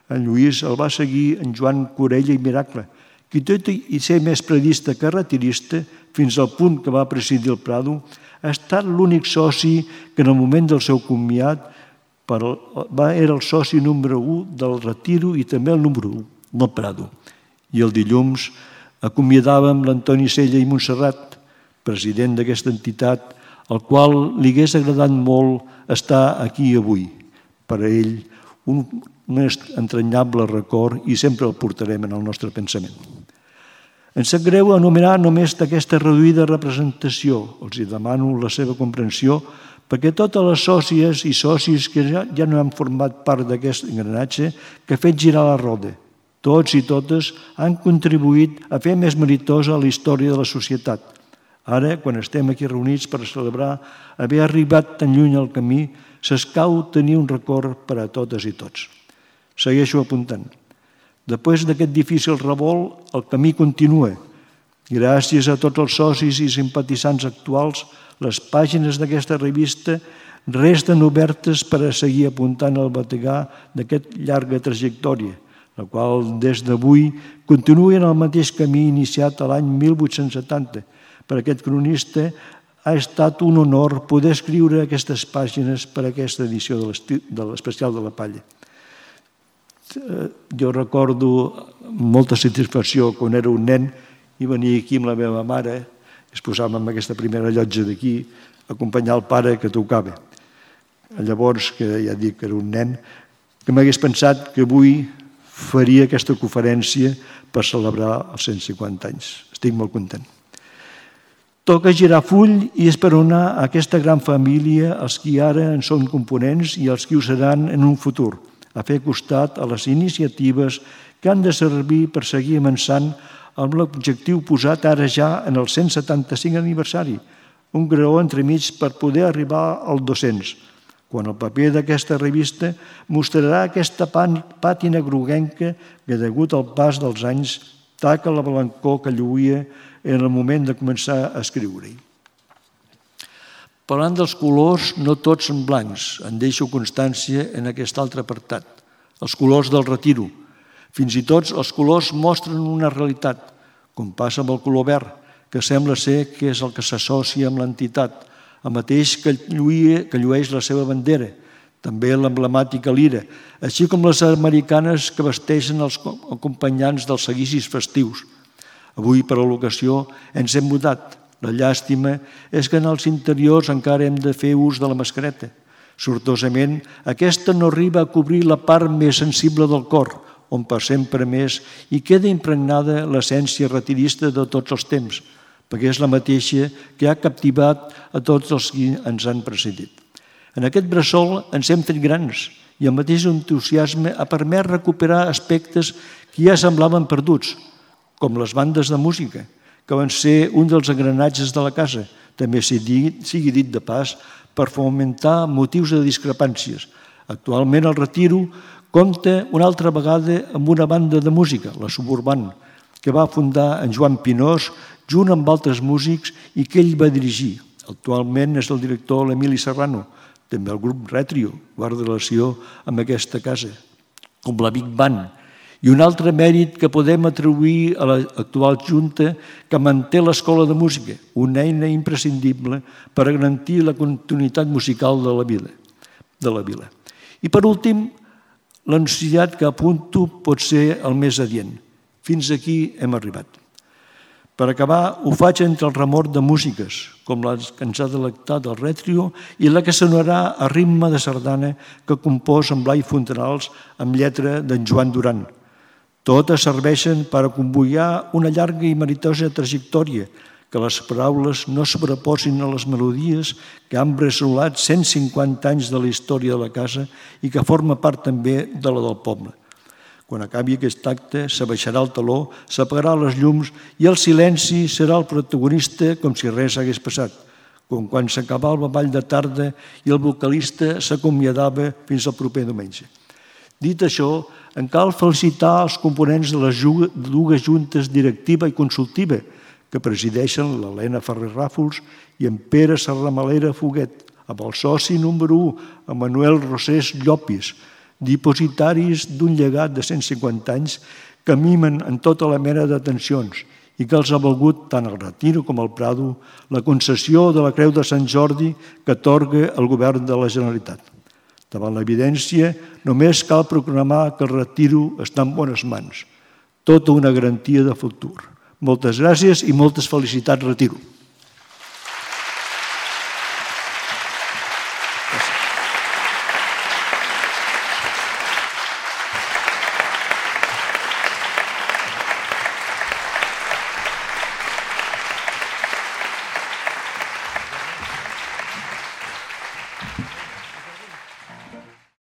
En Lluís el va seguir en Joan Corella i Miracle, qui tot i ser més predista que retirista, fins al punt que va presidir el Prado, ha estat l'únic soci que en el moment del seu comiat era el soci número u del Retiro i també el número u del Prado. I el dilluns acomiadàvem l'Antoni Sella i Montserrat, president d'aquesta entitat, al qual li hagués agradat molt estar aquí avui. Per a ell, un entranyable record i sempre el portarem en el nostre pensament. Em sap greu anomenar només d'aquesta reduïda representació. Els demano la seva comprensió perquè totes les sòcies i socis que ja, ja no han format part d'aquest engranatge que ha fet girar la roda, tots i totes han contribuït a fer més meritosa la història de la societat. Ara, quan estem aquí reunits per celebrar haver arribat tan lluny al camí, s'escau tenir un record per a totes i tots. Segueixo apuntant. Després d'aquest difícil revolt, el camí continua. Gràcies a tots els socis i simpatitzants actuals, les pàgines d'aquesta revista resten obertes per a seguir apuntant el bategar d'aquesta llarga trajectòria, la qual des d'avui continua en el mateix camí iniciat l'any mil vuit-cents setanta. Per aquest cronista ha estat un honor poder escriure aquestes pàgines per a aquesta edició de l'Especial de la Palla. Jo recordo molta satisfacció quan era un nen i venia aquí amb la meva mare, es posàvem en aquesta primera llotja d'aquí, a acompanyar el pare que tocava. Llavors, que ja dic que era un nen, que m'hagués pensat que avui faria aquesta conferència per celebrar els cent cinquanta anys. Estic molt content. Toca girar full i esperonar aquesta gran família, els qui ara en són components i els qui ho seran en un futur, a fer costat a les iniciatives que han de servir per seguir avançant amb l'objectiu posat ara ja en el cent setanta-cinc aniversari, un graó entremig per poder arribar al dos-cents, quan el paper d'aquesta revista mostrarà aquesta pàtina groguenca que, degut al pas dels anys, taca la blancor que lluïa en el moment de començar a escriure-hi. Parlant dels colors, no tots són blancs. En deixo constància en aquest altre apartat. Els colors del Retiro. Fins i tot els colors mostren una realitat, com passa amb el color verd, que sembla ser que és el que s'associa amb l'entitat, el mateix que llueix la seva bandera, també l'emblemàtica lira, així com les americanes que vesteixen els acompanyants dels seguicis festius. Avui, per a l'ocasió, ens hem mudat. La llàstima és que en els interiors encara hem de fer ús de la mascareta. Sortosament, aquesta no arriba a cobrir la part més sensible del cor, on per sempre més hi queda impregnada l'essència retirista de tots els temps, perquè és la mateixa que ha captivat a tots els que ens han precedit. En aquest bressol ens hem fet grans i el mateix entusiasme ha permès recuperar aspectes que ja semblaven perduts, com les bandes de música, que van ser un dels engranatges de la casa, també sigui dit de pas, per fomentar motius de discrepàncies. Actualment el Retiro compta una altra vegada amb una banda de música, la Suburban, que va fundar en Joan Pinós junt amb altres músics i que ell va dirigir. Actualment és el director l'Emili Serrano, també el grup Retrio, guarda relació amb aquesta casa, com la Big Band. I un altre mèrit que podem atribuir a l'actual Junta que manté l'Escola de Música, una eina imprescindible per a garantir la continuïtat musical de la vila. De la vila. I per últim, l'anunciat que apunto pot ser el més adient. Fins aquí hem arribat. Per acabar, ho faig entre el remor de músiques, com la que ens ha delectat el Retrio i la que sonarà a ritme de sardana que compòs en Blai Fontanals amb lletra d'en Joan Duran. Totes serveixen per a convoiar una llarga i meritosa trajectòria, que les paraules no sobreposin a les melodies que han bressolat cent cinquanta anys de la història de la casa i que forma part també de la del poble. Quan acabi aquest acte, s'abaixarà el taló, s'apagarà les llums i el silenci serà el protagonista com si res hagués passat, com quan s'acabava el ball de tarda i el vocalista s'acomiadava fins al proper diumenge. Dit això, en cal felicitar els components de les dues juntes directiva i consultiva que presideixen l'Helena Ferrer Ràfols i en Pere Serramalera Foguet, amb el soci número u, en Manuel Rosés Llopis, dipositaris d'un llegat de cent cinquanta anys que mimen en tota la mena de tensions i que els ha valgut tant el Retiro com el Prado la concessió de la Creu de Sant Jordi que atorga el govern de la Generalitat. Davant l'evidència, només cal proclamar que el Retiro està en bones mans. Tota una garantia de futur. Moltes gràcies i moltes felicitats, Retiro.